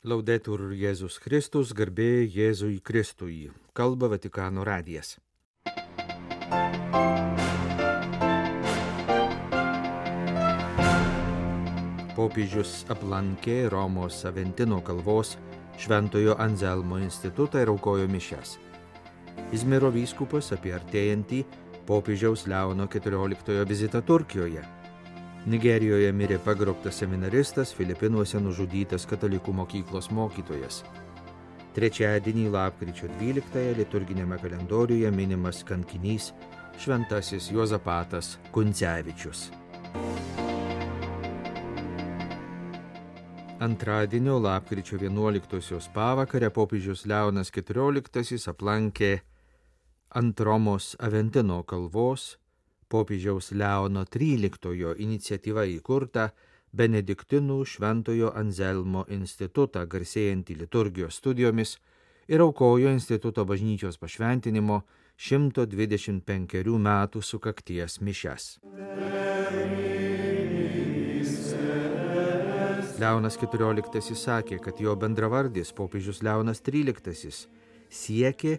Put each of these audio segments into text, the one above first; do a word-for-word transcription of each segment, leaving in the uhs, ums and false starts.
Laudetur Jėzus Kristus, garbė Jėzui Kristui. Kalba Vatikano radijas. Popiežius aplankė Romos Aventino kalvos Šventojo Anzelmo institutą ir aukojo mišias. Izmiro vyskupas apie artėjantį popiežiaus Leono keturioliktojo vizitą Turkijoje. Nigerijoje mirė pagrobtas seminaristas, Filipinuose nužudytas katalikų mokyklos mokytojas. Trečiadienį lapkričio dvyliktąją liturginėme kalendoriuje minimas kankinys šventasis Juozapatas Kuncevičius. Antradienio lapkričio vienuoliktosios pavakarę popiežius Leonas keturioliktasis aplankė ant Romos Aventino kalvos popiežiaus Leono tryliktojo iniciatyva įkurta Benediktinų Šventojo Anzelmo institutą, garsėjantį liturgijos studijomis, ir aukojo instituto bažnyčios pašventinimo šimto dvidešimt penkerių metų sukakties mišias. Leonas keturioliktasis sakė, kad jo bendravardis popiežius Leonas tryliktasis siekė,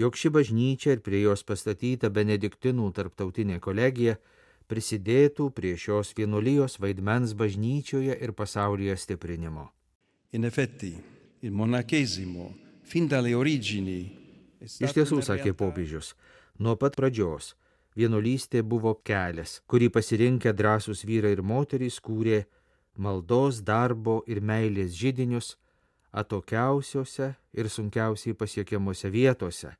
jog ši bažnyčia ir prie jos pastatyta Benediktinų tarptautinė kolegija prisidėtų prie šios vienuolijos vaidmens bažnyčioje ir pasaulyje stiprinimo. In effetti, il monachesimo, fin dalle origini, Iš tiesų, sakė popiežius, nuo pat pradžios vienuolystė buvo kelias, kurį pasirinkę drąsūs vyrai ir moterys kūrė maldos, darbo ir meilės židinius atokiausiose ir sunkiausiai pasiekiamose vietose,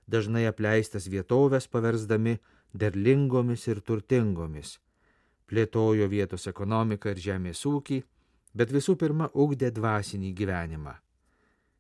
dažnai apleistas vietovės paversdami derlingomis ir turtingomis, plėtojo vietos ekonomiką ir žemės ūkį, bet visų pirma ugdė dvasinį gyvenimą.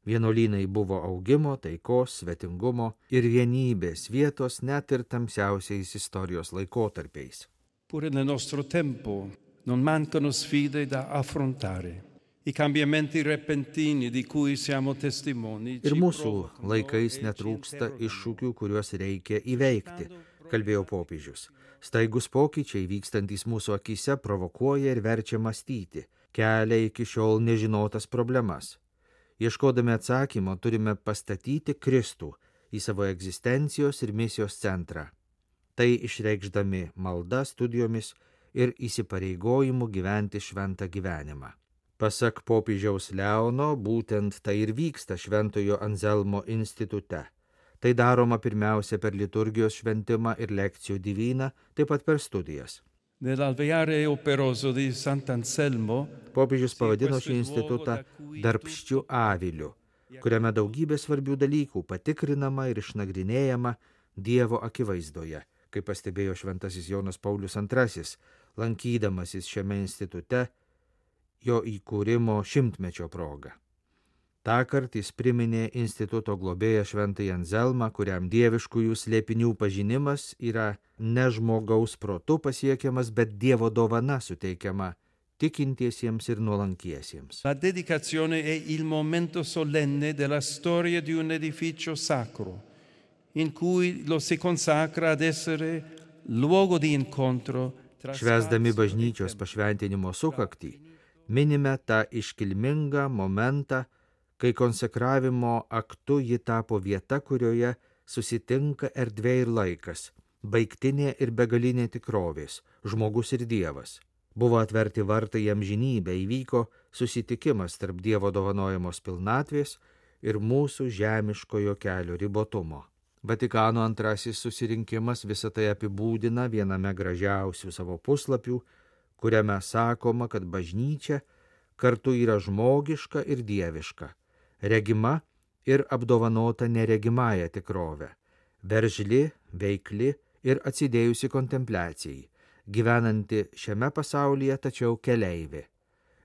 Vienuolynai buvo augimo, taikos, svetingumo ir vienybės vietos net ir tamsiausiais istorijos laikotarpiais. Pure nel nostro tempo non mancano sfide da affrontare. I cambiamenti repentini di cui siamo testimoni. Ir mūsų laikais netrūksta iššūkių, kuriuos reikia įveikti, kalbėjo popiežius. Staigus pokyčiai vykstantys mūsų akyse provokuoja ir verčia mąstyti, kelia iki šiol nežinotas problemas. Ieškodami atsakymo turime pastatyti Kristų į savo egzistencijos ir misijos centrą. Tai išreikšdami malda, studijomis ir įsipareigojimu gyventi šventą gyvenimą. Pasak popiežiaus Leono, būtent tai ir vyksta Šventojo Anzelmo institute. Tai daroma pirmiausia per liturgijos šventimą ir lekcijų divyną, taip pat per studijas. Nell'alveare operoso di Sant'Anselmo, popiežius pavadino šį institutą darbščiu aviliu, kuriame daugybė svarbių dalykų patikrinama ir išnagrinėjama Dievo akivaizdoje, kaip pastebėjo šventasis Jonas Paulius antrasis, lankydamasis šiame institute jo įkūrimo šimtmečio proga. Tąkart jis priminė instituto globėją Šventąjį Anzelmą, kuriam dieviškųjų slėpinių pažinimas yra ne žmogaus protu pasiekiamas, bet Dievo dovana suteikiama tikintiesiems ir nuolankiesiems. La dedicazione è il momento solenne della storia di un edificio sacro, in cui lo si consacra ad essere luogo di incontro. Švęsdami bažnyčios pašventinimo sukaktį, minime tą iškilmingą momentą, kai konsekravimo aktu ji tapo vieta, kurioje susitinka erdvė ir laikas, baigtinė ir begalinė tikrovės, žmogus ir Dievas. Buvo atverti vartai į amžinybę, įvyko susitikimas tarp Dievo dovanojamos pilnatvės ir mūsų žemiškojo kelio ribotumo. Vatikano antrasis susirinkimas visą tai apibūdina viename gražiausių savo puslapių, kuriame sakoma, kad bažnyčia kartu yra žmogiška ir dieviška, regima ir apdovanota neregimąją tikrovę, veržli, veikli ir atsidėjusi kontempliacijai, gyvenanti šiame pasaulyje, tačiau keleivė.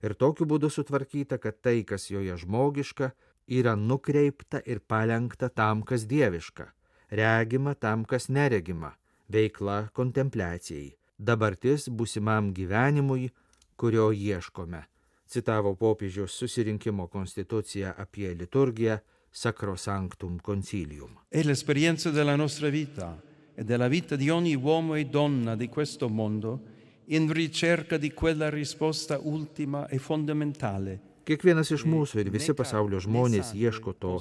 Ir tokiu būdu sutvarkyta, kad tai, kas joje žmogiška, yra nukreipta ir palenkta tam, kas dieviška, regima tam, kas neregima, veikla kontempliacijai, dabartis būsimam gyvenimui, kurio ieškome, citavo popiežiaus susirinkimo konstituciją apie liturgiją Sacrosanctum Concilium. È l'esperienza della nostra vita e della vita di ogni uomo e donna di questo mondo in ricerca di quella risposta ultima e fondamentale Kiekvienas iš mūsų ir visi pasaulio žmonės ieško to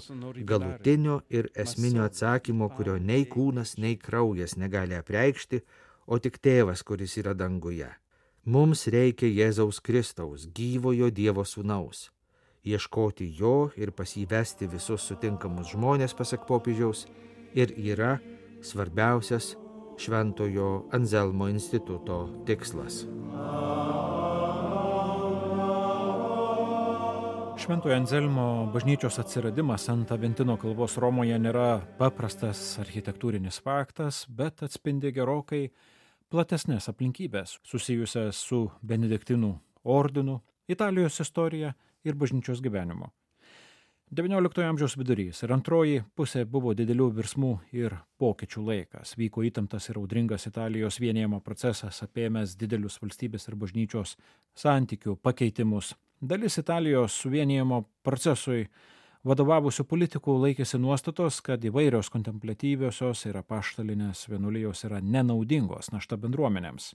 galutinio ir esminio atsakymo, kurio nei kūnas, nei kraujas negali apreikšti, o tik Tėvas, kuris yra danguje. Mums reikia Jėzaus Kristaus, gyvojo Dievo sūnaus. Ieškoti jo ir pas jį vesti visus sutinkamus žmonės, pasak popiežiaus, ir yra svarbiausias Šventojo Anzelmo instituto tikslas. Šventojo Anzelmo bažnyčios atsiradimas ant Aventino kalvos Romoje nėra paprastas architektūrinis faktas, bet atspindi gerokai platesnės aplinkybės susijusias su Benediktinų ordinu, Italijos istorija ir bažnyčios gyvenimu. devynioliktojo amžiaus vidurys ir antroji pusė buvo didelių virsmų ir pokyčių laikas. Vyko įtemptas ir audringas Italijos vienijimo procesas, apėmęs didelius valstybės ir bažnyčios santykių pakeitimus. Dalis Italijos suvienijimo procesui vadovavusių politikų laikėsi nuostatos, kad įvairios kontempliatyviosios ir apaštalinės vienuolijos yra nenaudingos našta bendruomenėms.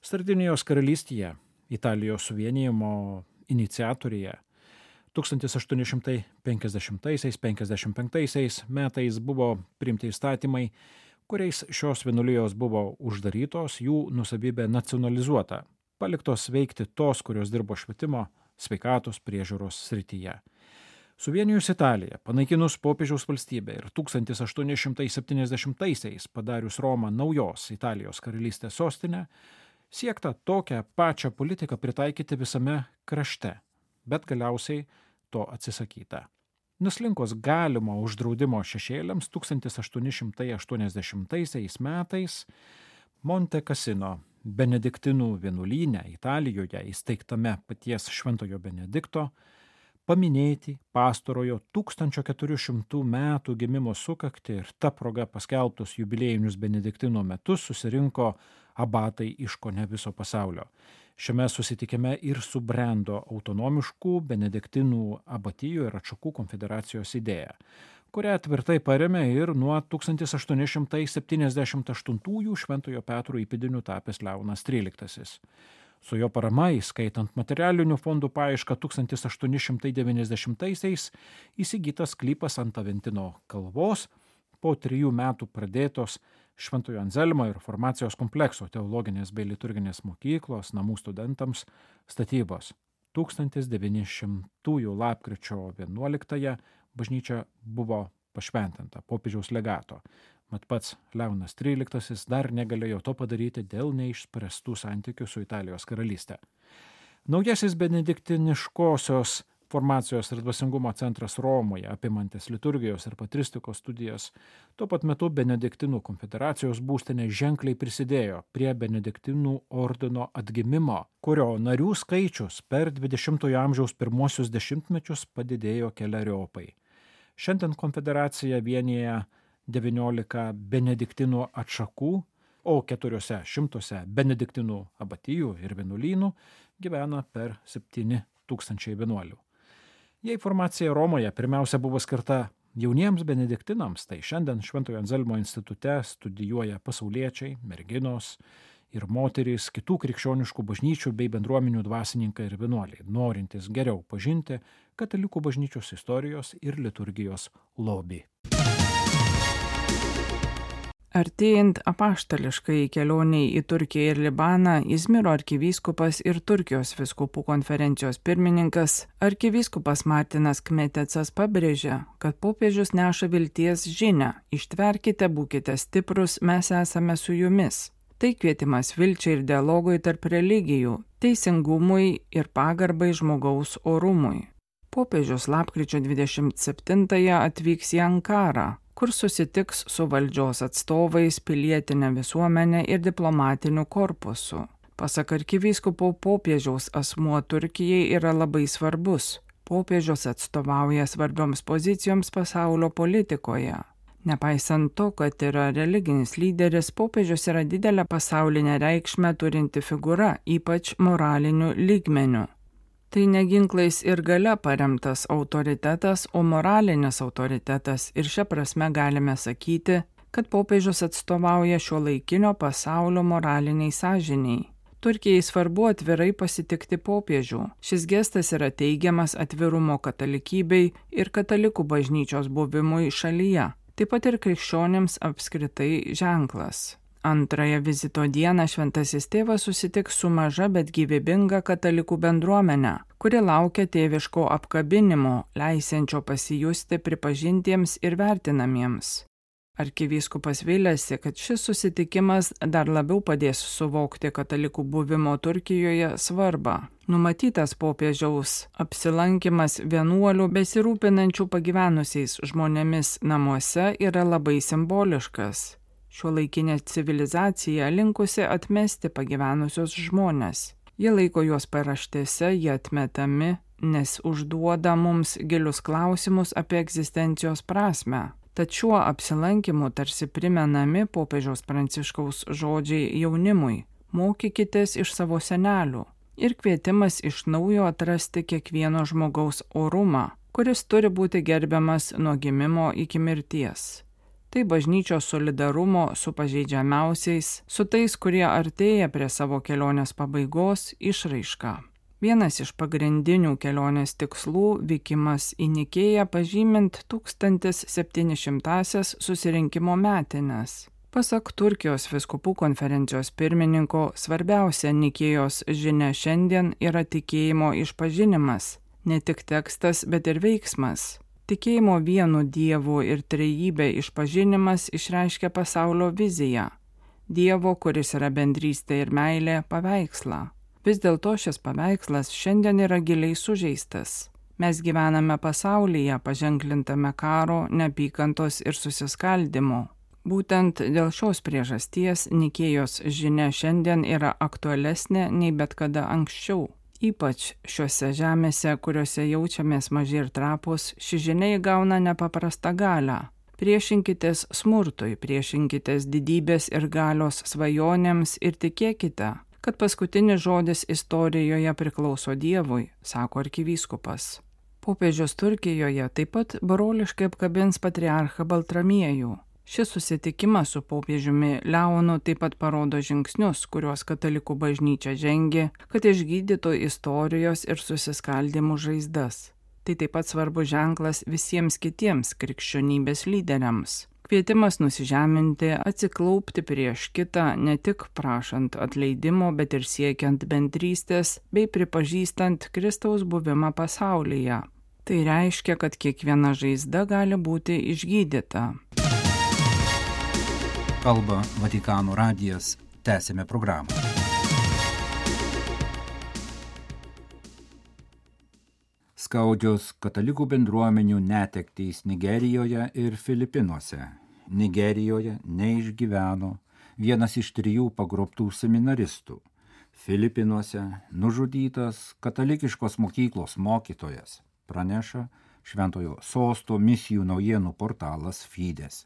Sardinijos karalystėje, Italijos suvienijimo iniciatorėje, tūkstantis aštuoni šimtai penkiasdešimtaisiais - penkiasdešimt penktaisiais metais buvo priimti įstatymai, kuriais šios vienuolijos buvo uždarytos, jų nuosavybė nacionalizuota, paliktos veikti tos, kurios dirbo švietimo, sveikatos priežiūros srityje. Suvienijus Italiją, panaikinus popiežiaus valstybę ir tūkstantis aštuoni šimtai septyniasdešimtaisiais padarius Romą naujos Italijos karalystės sostinę, siekta tokią pačią politiką pritaikyti visame krašte, bet galiausiai to atsisakyta. Nuslinkus galimo uždraudimo šešėliams tūkstantis aštuoni šimtai aštuoniasdešimtaisiais metais Monte Cassino Benediktinų vienuolyne Italijoje įsteigtame paties Šventojo Benedikto paminėti pastarojo tūkstančio keturių šimtų metų gimimo sukaktį ir ta proga paskelbtus jubiliejinius Benediktino metus susirinko abatai iš kone viso pasaulio. Šiame susitikime ir subrendo autonomiškų Benediktinų abatijų ir atšakų konfederacijos idėja, kurią tvirtai parėmė ir nuo tūkstantis aštuoni šimtai septyniasdešimt aštuntųjų Šventojo Petro įpėdiniu tapęs Leonas tryliktasis. Su jo parama, įskaitant materialinių fondų paiešką tūkstantis aštuoni šimtai devyniasdešimtaisiais, įsigytas sklypas ant Aventino kalvos, po trijų metų pradėtos Šventojo Anzelmo ir Formacijos komplekso teologinės bei liturginės mokyklos namų studentams statybos. tūkstantis devyni šimtųjų lapkričio vienuoliktąją bažnyčia buvo pašventinta popiežiaus legato. Mat pats Leonas tryliktasis dar negalėjo to padaryti dėl neišspręstų santykių su Italijos karalystė. Naujasis benediktiniškosios formacijos ir dvasingumo centras Romoje, apimantis liturgijos ir patristikos studijas, tuo pat metu Benediktinų konfederacijos būstinė ženkliai prisidėjo prie Benediktinų ordino atgimimo, kurio narių skaičius per dvidešimtojo amžiaus pirmuosius dešimtmečius padidėjo keleriopai. Šiandien konfederacija vienija devyniolika Benediktinų atšakų, o keturiose šimtuose Benediktinų abatijų ir vienuolynų gyvena per septyni tūkstančiai vienuolių. Jei formacija Romoje pirmiausia buvo skirta jauniems benediktinams, tai šiandien Šventojo Anzelmo institute studijuoja pasauliečiai, merginos ir moterys, kitų krikščioniškų bažnyčių bei bendruomenių dvasininkai ir vienuoliai, norintys geriau pažinti katalikų bažnyčios istorijos ir liturgijos lobį. Artėjant apaštališkai kelioniai į Turkiją ir Libaną, Izmiro arkivyskupas ir Turkijos vyskupų konferencijos pirmininkas arkivyskupas Martinas Kmetecas pabrėžia, kad popiežius neša vilties žinią: ištverkite, būkite stiprus, mes esame su jumis. Tai kvietimas vilčiai ir dialogui tarp religijų, teisingumui ir pagarbai žmogaus orumui. Popiežius lapkričio dvidešimt septintąją atvyks į Ankarą, kur susitiks su valdžios atstovais, pilietinė visuomenė ir diplomatiniu korpusu. Pasak arkivyskupo, popiežiaus asmuo Turkijai yra labai svarbus. Popiežius atstovauja svarbioms pozicijoms pasaulio politikoje. Nepaisant to, kad yra religinis lyderis, popiežius yra didelę pasaulinę reikšmę turinti figūra, ypač moraliniu lygmeniu. Tai ne ginklais ir galia paremtas autoritetas, o moralinis autoritetas, ir šia prasme galime sakyti, kad popiežius atstovauja šiuolaikinio pasaulio moraliniai sąžiniai. Turkijai svarbu atvirai pasitikti popiežių. Šis gestas yra teigiamas atvirumo katalikybei ir katalikų bažnyčios buvimui šalyje. Taip pat ir krikščionėms apskritai ženklas. Antrąją vizito dieną šventasis tėvas susitiks su maža, bet gyvybinga katalikų bendruomenė, kuri laukia tėviško apkabinimo, leisiančio pasijusti pripažintiems ir vertinamiems. Arkivyskupas vylėsi, kad šis susitikimas dar labiau padės suvokti katalikų buvimo Turkijoje svarbą. Numatytas popiežiaus apsilankimas vienuolių besirūpinančių pagyvenusiais žmonėmis namuose yra labai simboliškas. Šiuolaikinė civilizacija linkusi atmesti pagyvenusius žmones. Jie laiko juos paraštėse, jie atmetami, nes užduoda mums gilius klausimus apie egzistencijos prasmę. Tad šiuo apsilankimu tarsi primenami popiežiaus Pranciškaus žodžiai jaunimui – mokykitės iš savo senelių ir kvietimas iš naujo atrasti kiekvieno žmogaus orumą, kuris turi būti gerbiamas nuo gimimo iki mirties. Tai bažnyčios solidarumo su pažeidžiamiausiais, su tais, kurie artėja prie savo kelionės pabaigos, išraiška. Vienas iš pagrindinių kelionės tikslų – vykimas į Nikėją pažymint tūkstantis septyni šimtąsias susirinkimo metines. Pasak Turkijos vyskupų konferencijos pirmininko, svarbiausia Nikėjos žinia šiandien yra tikėjimo išpažinimas, ne tik tekstas, bet ir veiksmas. Tikėjimo vienu Dievu ir trejybė išpažinimas išreiškia pasaulio viziją, Dievo, kuris yra bendrystė ir meilė, paveikslą. Vis dėlto šis paveikslas šiandien yra giliai sužeistas. Mes gyvename pasaulyje paženklintame karo, neapykantos ir susiskaldimo. Būtent dėl šios priežasties Nikėjos žinia šiandien yra aktualesnė nei bet kada anksčiau. Ypač šiuose žemėse, kuriuose jaučiamės maži ir trapūs, ši žinia įgauna nepaprastą galią. Priešinkitės smurtui, priešinkitės didybės ir galios svajonėms ir tikėkite, kad paskutinis žodis istorijoje priklauso Dievui, sako arkivyskupas. Popiežius Turkijoje taip pat broliškai apkabins patriarchą Baltramiejų. Šis susitikimas su popiežiumi Leonu taip pat parodo žingsnius, kuriuos katalikų bažnyčia žengė, kad išgydytų istorijos ir susiskaldimų žaizdas. Tai taip pat svarbus ženklas visiems kitiems krikščionybės lyderiams. Kvietimas nusižeminti, atsiklaupti prieš kitą, ne tik prašant atleidimo, bet ir siekiant bendrystės bei pripažįstant Kristaus buvimą pasaulyje. Tai reiškia, kad kiekviena žaizda gali būti išgydyta. Kalba Vatikano radijas. Tęsėme programą. Skaudžios katalikų bendruomenių netektys Nigerijoje ir Filipinuose. Nigerijoje neišgyveno vienas iš trijų pagrobtų seminaristų. Filipinuose nužudytas katalikiškos mokyklos mokytojas, praneša Šventojo Sosto misijų naujienų portalas Fides.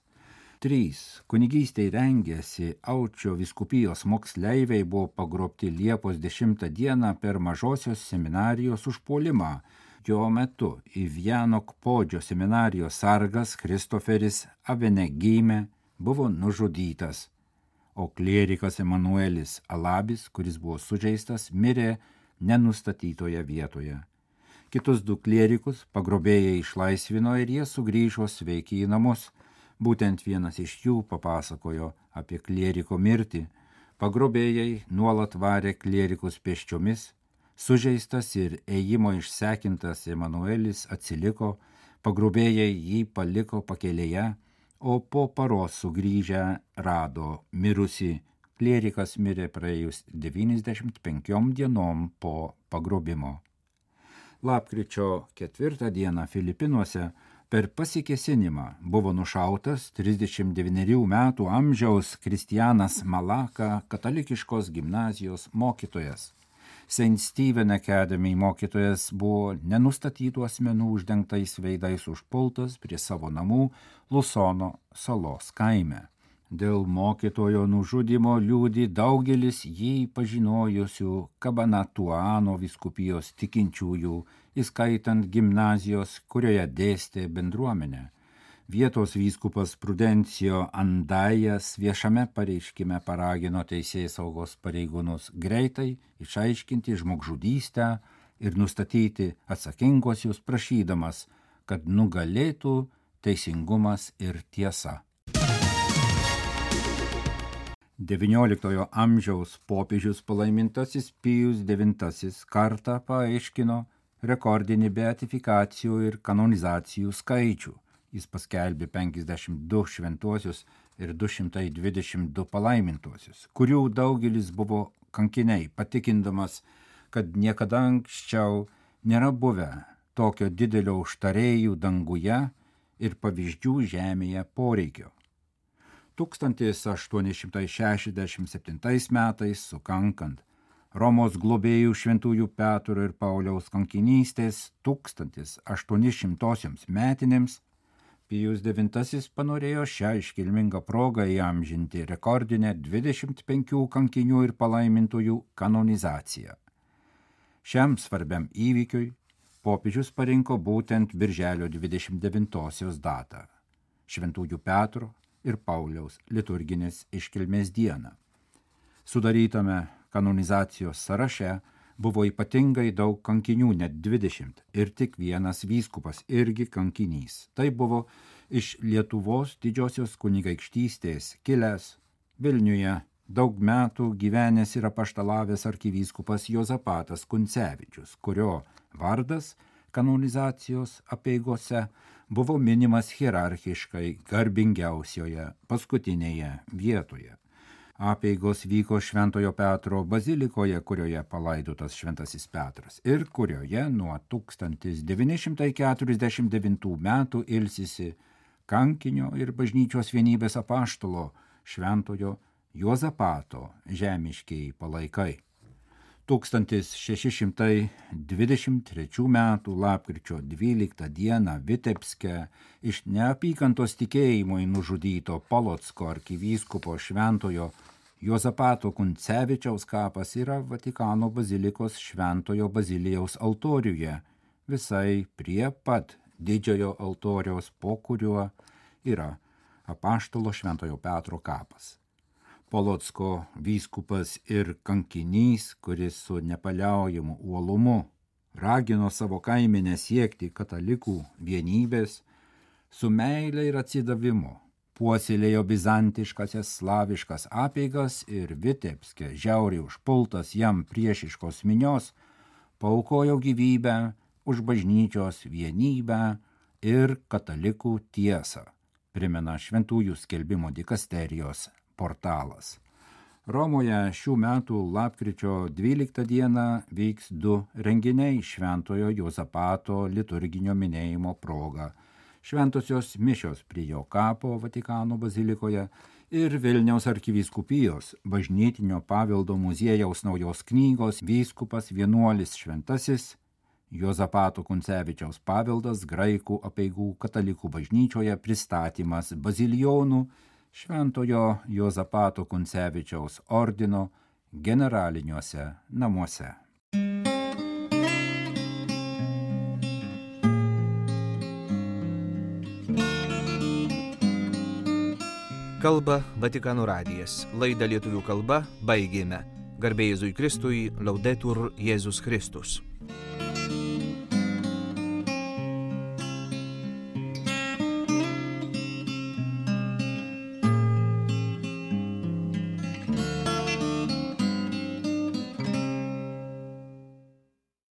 Trys kunigystei rengėsi Aučio vyskupijos moksleiviai buvo pagrobti Liepos dešimtą dieną per mažosios seminarijos užpuolimą. Jo metu į Vianok Podžio seminarijos sargas Kristoferis Avenegime buvo nužudytas, o klierikas Emanuelis Alabis, kuris buvo sužeistas, mirė nenustatytoje vietoje. Kitus du klierikus pagrobėjai išlaisvino ir jie sugrįžo sveiki į namus. Būtent vienas iš jų papasakojo apie klieriko mirtį. Pagrobėjai nuolat varė klierikus pėsčiomis. Sužeistas ir ėjimo išsekintas Emanuelis atsiliko, pagrobėjai jį paliko pakelėje, o po paros sugrįžę rado mirusį. Klierikas mirė praėjus devyniasdešimt penkiom dienom po pagrobimo. Lapkričio ketvirtą dieną Filipinuose per pasikėsinimą buvo nušautas trisdešimt devynerių metų amžiaus Kristianas Malaka, katalikiškos gimnazijos mokytojas. Saint Stephen Academy mokytojas buvo nenustatytų asmenų uždengtais veidais užpultas prie savo namų Lusono salos kaime. Dėl mokytojo nužudymo liūdi daugelis jį pažinojusių Kabanatuano vyskupijos tikinčiųjų, įskaitant gimnazijos, kurioje dėstė bendruomenę. Vietos vyskupas Prudencijo Andajas viešame pareiškime paragino teisėsaugos pareigūnus greitai išaiškinti žmogžudystę ir nustatyti atsakinguosius, prašydamas, kad nugalėtų teisingumas ir tiesa. devynioliktojo amžiaus popiežius palaimintasis Pijus devintasis kartą paaiškino rekordinį beatifikacijų ir kanonizacijų skaičių. Jis paskelbė penkiasdešimt du šventuosius ir du šimtai dvidešimt du palaimintuosius, kurių daugelis buvo kankiniai, patikindamas, kad niekada anksčiau nėra buvę tokio didelio užtarėjų danguje ir pavyzdžių žemėje poreikio. tūkstantis aštuoni šimtai šešiasdešimt septintais metais, sukankant Romos globėjų šventųjų Petro ir Pauliaus kankinystės tūkstantis aštuonišimtosioms metinėms, Pijus devintasis panorėjo šią iškilmingą progą įamžinti rekordinę dvidešimt penkių kankinių ir palaimintųjų kanonizaciją. Šiam svarbiam įvykiui popiežius parinko būtent birželio dvidešimt devintosios datą – Šventųjų Petro ir Pauliaus liturginės iškilmės dieną. Sudarytame kanonizacijos sąraše buvo ypatingai daug kankinių, net dvidešimt, ir tik vienas vyskupas irgi kankinys. Tai buvo iš Lietuvos didžiosios kunigaikštystės kilęs, Vilniuje daug metų gyvenęs ir apaštalavęs arkivyskupas Juozapatas Kuncevičius, kurio vardas kanonizacijos apeigose buvo minimas hierarchiškai garbingiausioje paskutinėje vietoje. Apeigos vyko Šventojo Petro bazilikoje, kurioje palaidotas Šventasis Petras ir kurioje nuo tūkstantis devyni šimtai keturiasdešimt devintų metų ilsisi kankinio ir bažnyčios vienybės apaštalo Šventojo Juozapato žemiškieji palaikai. tūkstantis šeši šimtai dvidešimt trečių metų lapkričio dvyliktą dieną Vitebske iš neapykantos tikėjimui nužudyto Polocko arkivyskupo Šventojo Juozapato Kuncevičiaus kapas yra Vatikano bazilikos Šventojo Bazilijaus altoriuje, visai prie pat didžiojo altoriaus, po kuriuo yra apaštalo Šventojo Petro kapas. Polocko vyskupas ir kankinys, kuris su nepaliaujamu uolumu ragino savo kaimenę siekti katalikų vienybės, su meile ir atsidavimu puoselėjo bizantiškasias slaviškas apeigas ir Vitebske žiauriai užpultas jam priešiškos minios paaukojo gyvybę už bažnyčios vienybę ir katalikų tiesą, primena Šventųjų skelbimo dikasterijos portalas. Romoje šių metų lapkričio dvyliktą dieną vyks du renginiai Šventojo Juozapato liturginio minėjimo proga. Šventosios mišios prie jo kapo Vatikano bazilikoje ir Vilniaus arkivyskupijos bažnytinio paveldo muziejaus naujos knygos Vyskupas vienuolis šventasis Juozapato Kuncevičiaus paveldas graikų apeigų katalikų bažnyčioje pristatymas bazilijonų Šventojo Juozapato Kuncevičiaus ordino generaliniuose namuose. Kalba Vatikano radijas. Laidą lietuvių kalba baigėme. Garbė Jėzui Kristui, Laudetur Jėzus Kristus.